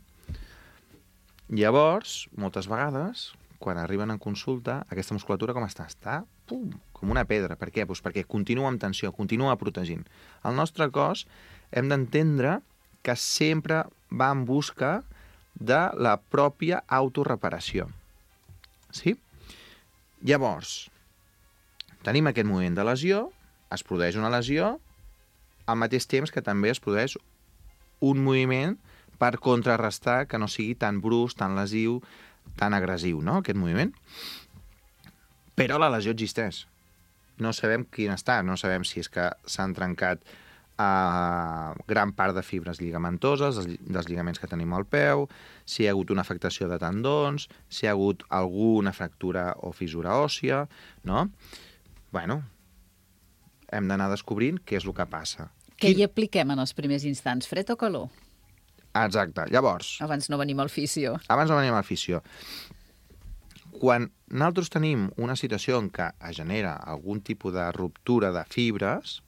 Llavors, moltes vegades, quan arriben en consulta, aquesta musculatura com està? Està com una pedra. Per què? Doncs perquè continua amb tensió, continua protegint. El nostre cos hem d'entendre que sempre va en busca de la pròpia autorreparació. Sí? Llavors, tenim aquest moviment de lesió, es produeix una lesió, al mateix temps que també es produeix un moviment per contrarrestar que no sigui tan brusc, tan lesiu, tan agressiu, no?, aquest moviment. Però la lesió existeix. No sabem quin està, no sabem si és que s'han trencat gran part de fibres lligamentoses, dels lligaments que tenim al peu, si hi ha hagut una afectació de tendons, si hi ha hagut alguna fractura o fissura òssia, no? Bueno, hem d'anar descobrint què és el que passa. Què hi apliquem en els primers instants, fred o calor? Exacte. Llavors... Abans no venim al fisio. Quan nosaltres tenim una situació en què es genera algun tipus de ruptura de fibres,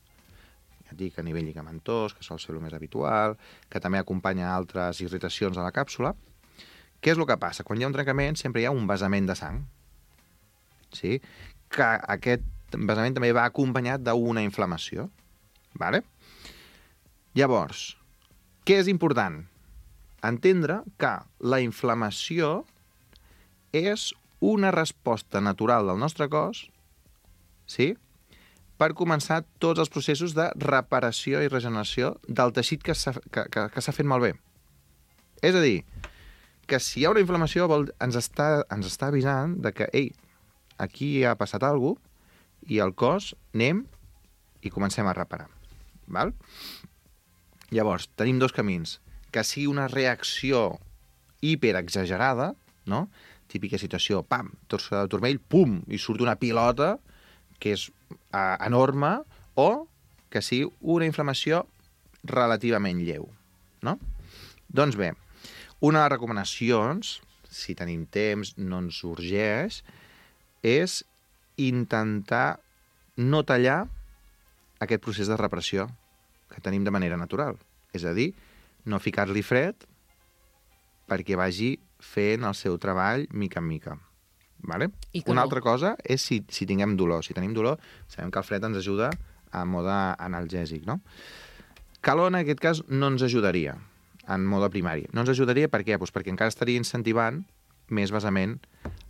ja et dic a nivell lligamentós, que sol ser el més habitual, que també acompanya altres irritacions a la càpsula, què és el que passa? Quan hi ha un trencament sempre hi ha un vessament de sang, sí? Que aquest vessament també va acompanyat d'una inflamació. Vale? Llavors, què és important? Entendre que la inflamació és una resposta natural del nostre cos, sí?, per començar tots els processos de reparació i regeneració del teixit que s'ha fet malbé. És a dir, que si hi ha una inflamació ens està avisant de que, ei, aquí ha passat alguna cosa i el cos anem i comencem a reparar. Val? Llavors, tenim dos camins. Que sigui una reacció hiperexagerada, no? Típica situació, pam, torça de turmell, pum, i surt una pilota que és enorme, o que sigui una inflamació relativament lleu, no? Doncs bé, una de les recomanacions, si tenim temps, no ens urgeix, és intentar no tallar aquest procés de reparació que tenim de manera natural. És a dir, no ficar-li fred perquè vagi fent el seu treball mica en mica. Vale? Una altra cosa és si tinguem dolor. Si tenim dolor, sabem que el fred ens ajuda a mode analgèsic, no? Calor, en aquest cas, no ens ajudaria en mode primari. No ens ajudaria per què? Pues perquè encara estaria incentivant més vessament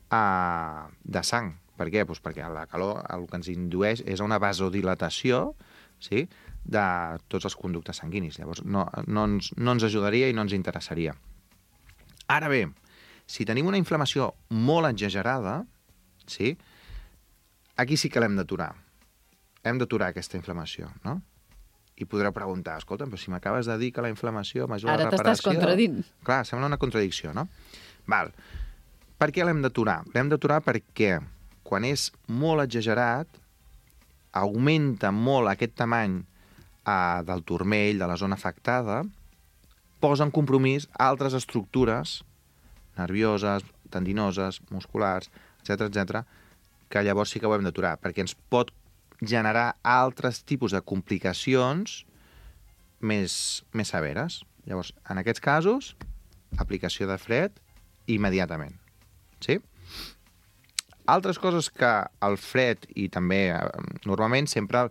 de sang. Per què? Pues perquè la calor el que ens indueix és una vasodilatació, sí?, de tots els conductes sanguinis. Llavors, no ens ajudaria i no ens interessaria. Ara bé, si tenim una inflamació molt exagerada, sí, aquí sí que l'hem d'aturar. Hem d'aturar aquesta inflamació, no? I podreu preguntar, escolta, però si m'acabes de dir que la inflamació m'ajuda a la reparació... Ara t'estàs contradint. Clar, sembla una contradicció, no? Val. Per què l'hem d'aturar? L'hem d'aturar perquè quan és molt exagerat, augmenta molt aquest tamany del turmell, de la zona afectada, posa en compromís altres estructures nervioses, tendinoses, musculars, etc, que llavors sí que ho hem d'aturar, perquè ens pot generar altres tipus de complicacions més severes. Llavors, en aquests casos, aplicació de fred immediatament. Sí? Altres coses que el fred, i també normalment sempre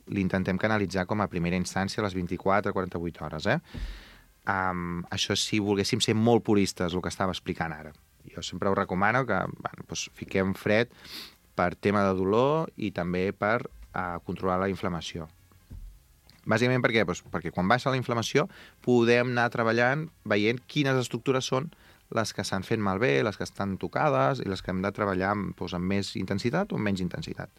l'intentem canalitzar com a primera instància a les 24-48 hores. Això si volguéssim ser molt puristes, el que estava explicant ara. Jo sempre ho recomano que fiquem fred per tema de dolor i també per controlar la inflamació. Bàsicament per què? Perquè quan baixa la inflamació podem anar treballant veient quines estructures són les que s'han fet malbé, les que estan tocades i les que hem de treballar amb més intensitat o amb menys intensitat.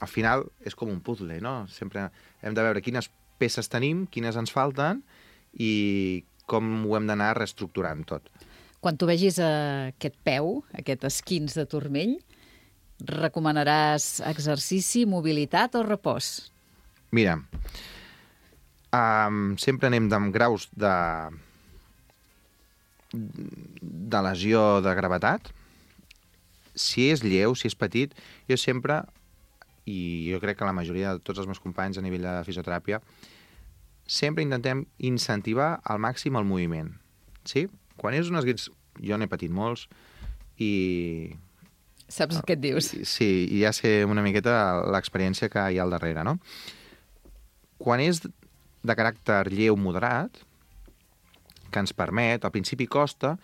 Al final és com un puzzle, no? Sempre hem de veure quines peces tenim, quines ens falten i com ho hem d'anar reestructurant tot. Quan tu vegis aquest peu, aquest esquins de turmell, recomanaràs exercici, mobilitat o repòs? Mira, sempre anem amb graus de lesió de gravetat. Si és lleu, si és petit, jo sempre, i jo crec que la majoria de tots els meus companys a nivell de fisioteràpia, sempre intentem incentivar al màxim el moviment. Sí? Quan és un esguins, jo n'he patit molts, i... Saps què et dius? Sí, i ja sé una miqueta l'experiència que hi ha al darrere, no? Quan és de caràcter lleu moderat, que ens permet, al principi costa,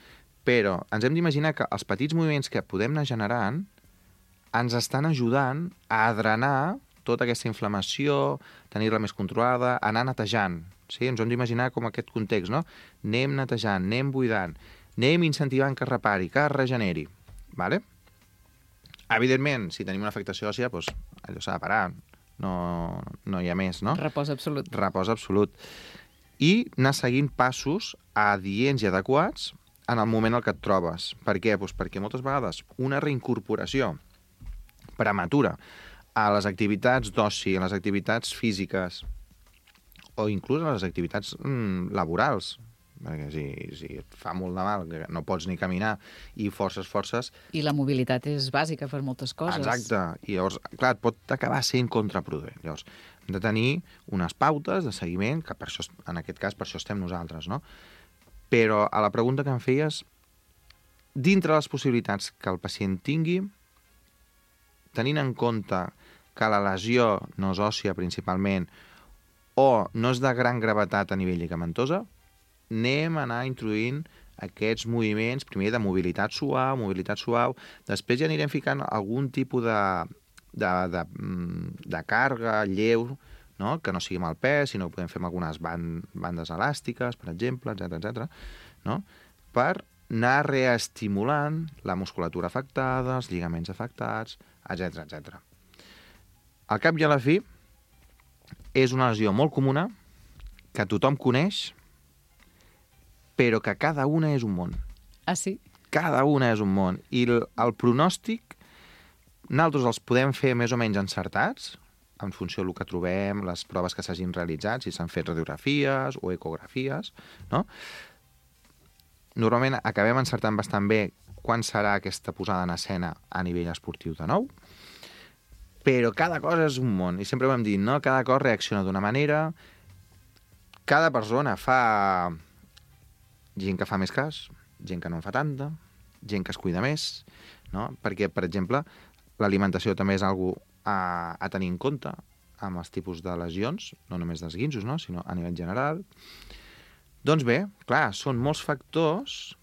però ens hem d'imaginar que els petits moviments que podem anar generant ens estan ajudant a drenar tota aquesta inflamació, tenir-la més controlada, anar netejant. Sí? Ens hem d'imaginar com aquest context, no? Anem netejant, anem buidant, anem incentivant que es repari, que es regeneri. Vale? Evidentment, si tenim una afectació òssia, doncs allò s'ha de parar. no hi ha més, no? Repòs absolut. Repòs absolut. I anar seguint passos adients i adequats en el moment en què et trobes. Per què? Doncs perquè moltes vegades una reincorporació prematura a les activitats d'oci, a les activitats físiques o inclús a les activitats laborals, perquè si et fa molt de mal, que no pots ni caminar i forces... I la mobilitat és bàsica per moltes coses. Exacte. I llavors, clar, et pot acabar sent contraproduent. Llavors, hem de tenir unes pautes de seguiment, que per això, en aquest cas, per això estem nosaltres, no? Però a la pregunta que em feies, dintre les possibilitats que el pacient tingui, tenint en compte que la lesió no és òssia principalment o no és de gran gravetat a nivell lligamentosa, anem a anar introduint aquests moviments, primer de mobilitat suau, després ja anirem ficant algun tipus de càrrega lleu, no? Que no sigui amb el pes, sinó que podem fer amb algunes bandes elàstiques, per exemple, etc, no? Per anar reestimulant la musculatura afectada, els lligaments afectats, etc. Al cap i a la fi, és una lesió molt comuna, que tothom coneix, però que cada una és un món. Ah, sí? Cada una és un món. I el pronòstic, nosaltres els podem fer més o menys encertats, en funció del que trobem, les proves que s'hagin realitzat, si s'han fet radiografies o ecografies, no? Normalment acabem encertant bastant bé quan serà aquesta posada en escena a nivell esportiu de nou, però cada cosa és un món, i sempre ho hem dit, no? Cada cos reacciona d'una manera, cada persona fa... gent que fa més cas, gent que no en fa tanta, gent que es cuida més, no? Perquè, per exemple, l'alimentació també és algo a tenir en compte amb els tipus de lesions, no només d'esguinços, no? Sinó a nivell general. Doncs bé, clar, són molts factors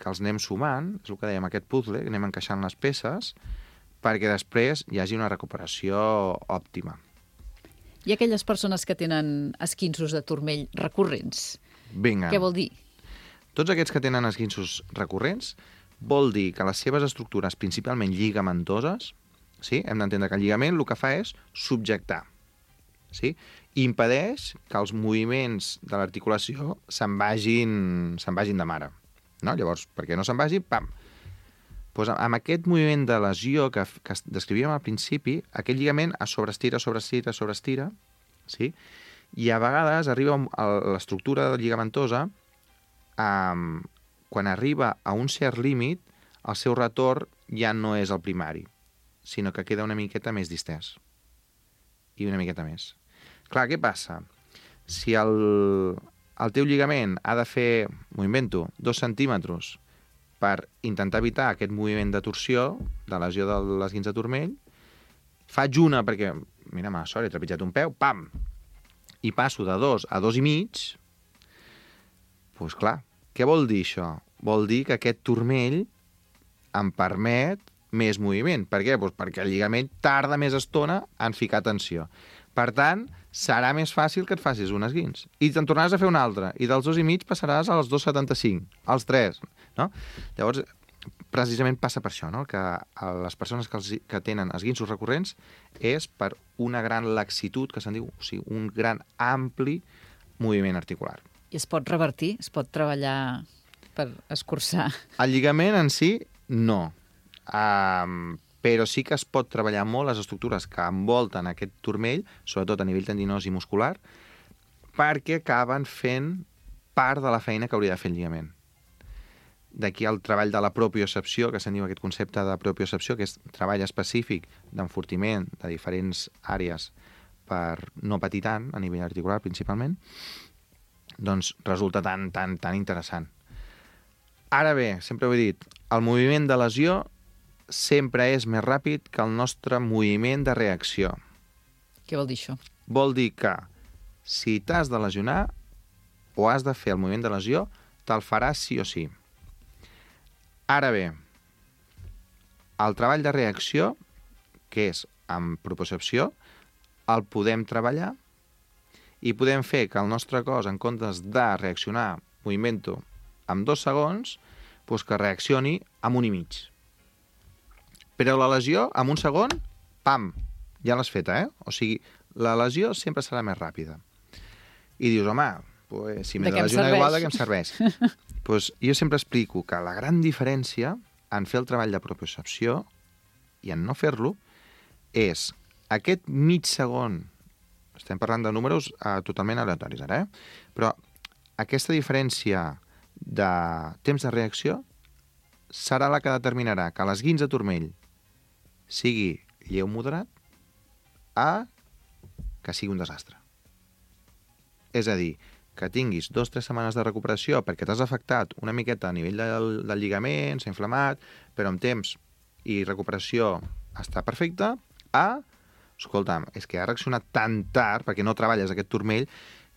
que els anem sumant, és el que dèiem, aquest puzzle, que anem encaixant les peces, perquè després hi hagi una recuperació òptima. I aquelles persones que tenen esquinços de turmell recurrents, Vinga. què vol dir? Tots aquests que tenen esquinços recurrents vol dir que les seves estructures, principalment lligamentoses, sí? Hem d'entendre que el lligament el que fa és subjectar, sí? I impedeix que els moviments de l'articulació se'n vagin de mare. No? Llavors, perquè no se'n vagi, pam! Pues amb aquest moviment de lesió que descrivíem al principi, aquest lligament es sobreestira, sí? I a vegades arriba a l'estructura lligamentosa, quan arriba a un cert límit, el seu retorn ja no és el primari, sinó que queda una miqueta més distès. I una miqueta més. Clar, què passa? Si el teu lligament ha de fer, m'ho invento, 2 centímetres per intentar evitar aquest moviment de torsió, de lesió de l'esguinç de turmell, faig una perquè, mira, he trepitjat un peu, pam! I passo de 2 a 2,5, doncs clar, què vol dir això? Vol dir que aquest turmell em permet més moviment. Per què? Doncs perquè el lligament tarda més estona en ficar tensió. Per tant, serà més fàcil que et facis un esguinç. I te'n tornaràs a fer un altre. I dels 2,5 passaràs als 2,75, als 3. No? Llavors, precisament passa per això, no? Que les persones que tenen esguinços recurrents és per una gran laxitud, que se'n diu, o sigui, un gran ampli moviment articular. I es pot revertir? Es pot treballar per escurçar? El lligament en si, no. Però sí que es pot treballar molt les estructures que envolten aquest turmell, sobretot a nivell tendinós i muscular, perquè acaben fent part de la feina que hauria de fer el lligament. D'aquí el treball de la propiocepció, que se'n diu aquest concepte de propiocepció, que és treball específic d'enfortiment de diferents àrees per no patir tant, a nivell articular principalment, doncs resulta tan interessant. Ara bé, sempre ho he dit, el moviment de lesió sempre és més ràpid que el nostre moviment de reacció. Què vol dir això? Vol dir que si t'has de lesionar o has de fer el moviment de lesió, te'l faràs sí o sí. Ara bé, el treball de reacció, que és amb propiocepció, el podem treballar i podem fer que el nostre cos, en comptes de reaccionar, moviment-ho, en 2 segons, doncs que reaccioni amb 1,5. Però la lesió, en 1 segon, pam, ja l'has feta, O sigui, la lesió sempre serà més ràpida. I dius, home, pues, si m'he de lesionar igual, de què em serveix? Pues, jo sempre explico que la gran diferència en fer el treball de propiocepció i en no fer-lo és aquest mig segon, estem parlant de números totalment aleatoris ara, però aquesta diferència de temps de reacció serà la que determinarà que l'esguinç de turmell sigui lleu moderat a que sigui un desastre. És a dir, que tinguis 2 o 3 setmanes de recuperació perquè t'has afectat una miqueta a nivell del lligament, s'ha inflamat, però amb temps i recuperació està perfecte, escolta'm, és que ha reaccionat tan tard perquè no treballes aquest turmell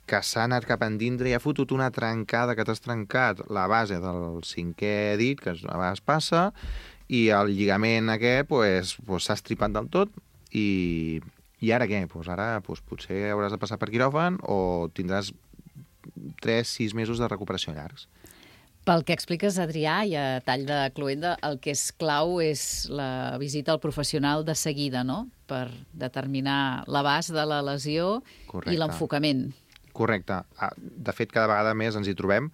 que s'ha anat cap endintre i ha fotut una trencada que t'has trencat la base del 5è dit, que a vegades passa, i el lligament aquest s'ha estripat del tot i ara què? Ara potser hauràs de passar per quiròfan o tindràs 3-6 mesos de recuperació llargs. Pel que expliques, Adrià, i a tall de cloenda, el que és clau és la visita al professional de seguida, no?, per determinar l'abast de la lesió. Correcte. I l'enfocament. Correcte. De fet, cada vegada més ens hi trobem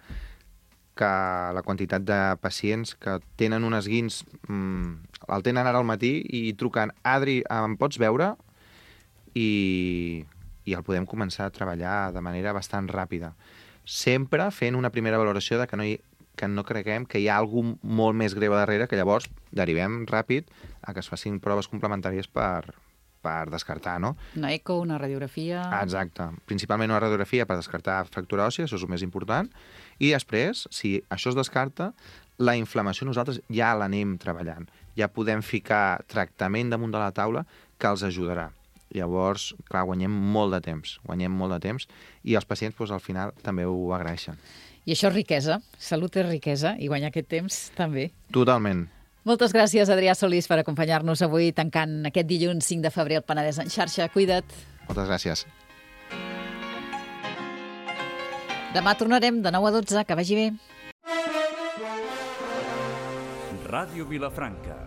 que la quantitat de pacients que tenen un esguinç el tenen ara al matí i truquen, Adri, em pots veure? I el podem començar a treballar de manera bastant ràpida. Sempre fent una primera valoració de que no creguem que hi ha algú molt més greu darrere, que llavors derivem ràpid a que es facin proves complementàries per descartar, no? Una eco, una radiografia... Exacte. Principalment una radiografia per descartar fractura òssia, això és el més important. I després, si això es descarta, la inflamació nosaltres ja l'anem treballant. Ja podem ficar tractament damunt de la taula que els ajudarà. Llavors, clar, guanyem molt de temps i els pacients al final també ho agraeixen. I això és riquesa. Salut és riquesa i guanyar aquest temps també. Totalment. Moltes gràcies, Adrià Solís, per acompanyar-nos avui tancant aquest dilluns 5 de febrer al Penedès en xarxa. Cuida't. Moltes gràcies. Demà tornarem de 9 a 12. Que vagi bé. Ràdio Vilafranca,